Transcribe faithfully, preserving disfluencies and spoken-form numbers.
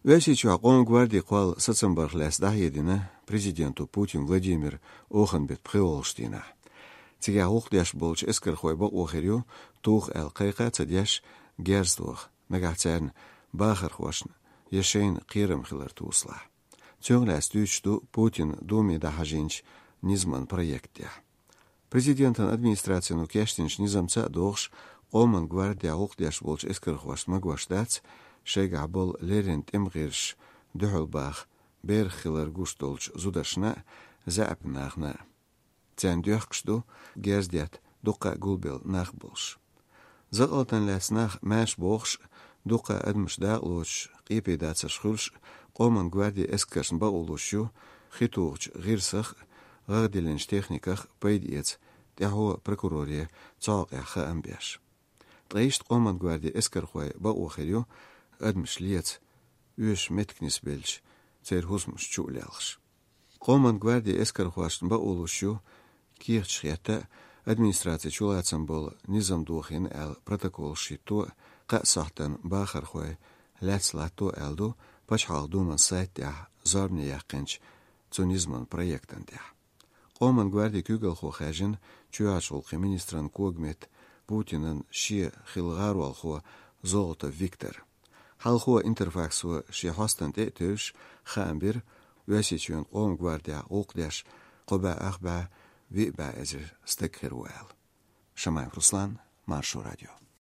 Оьрсийчохь Къоман гварди кхолла сацам барх лаьцна дӀахьедина президенто Путин Владимира оханан беттан пхоьалгӀачу дийнахь. Цигахь гӀуллакх деш болчу эскархойн бакъо хир ю туху аьлла кхайкха а ца деш, герз тоха, нагахь царна бахархошна я шайна кхерам хилар тосалахь. Цунах лаьцна дуьйцуш ду Путина Думе дӀахьажийначу низаман проектехь. Президентан администрацино кечдинчу низамца а догӀуш, Къоман гвардехь гӀуллакх деш болчу эскархошна магош дац, шайгахь болу леррина тӀеман гӀирсаша дуьхьал баха берах хилар гуш долчу зударшна а, заьӀапан нахана а. Царна доьхкуш ду герз детта дуккха а гулбелла нах болуш. Закъалтана лаьцна нах маьрша бохуш а, дуккха а адамаш дакъалоцуш, къепедацарш хуьлуш а, Къоман гвардин эскаршна бакъо луш ю хи тухучу гӀирсах а, гӀагӀ диллинчу техниках а пайда эца тӀаьхьо прокуроре цу хьокъехь хаам беш. Ткъа иштта Къоман гвардин эскархойн бакъо хир ю адамаш леца, оьшуш меттиг нисбелча, церан хӀусамаш чу а лелхаш. Къоман гвардин эскархошна бакъо луш ю кехаташ хетта а, администрацин чулацам болу низам дохийна аьлла протоколаш хӀитто а, кхаа сохьтана бахархой лаьцна латто а аьлла ду Пачхьалкхан Думан сайта тӀехь зорбане яьккхинчу цу низаман проектан тӀехь. Къоман гвардин куьйгалхо хаьржина чоьхьарчу гӀуллакхийн министран когаметта Путинан шен хилла гӀаролхо Золотов Виктор. Хьалхо Интерфаксо шен хьостана тӀе а тевжаш, хаам бира, Оьрсийчоьнан Къоман гвардехь гӀуллакх деш кхо бӀе ах бӀе виъ бӀе эзар стаг хир ву аьлла. Шамаев Руслан, Маршо радио.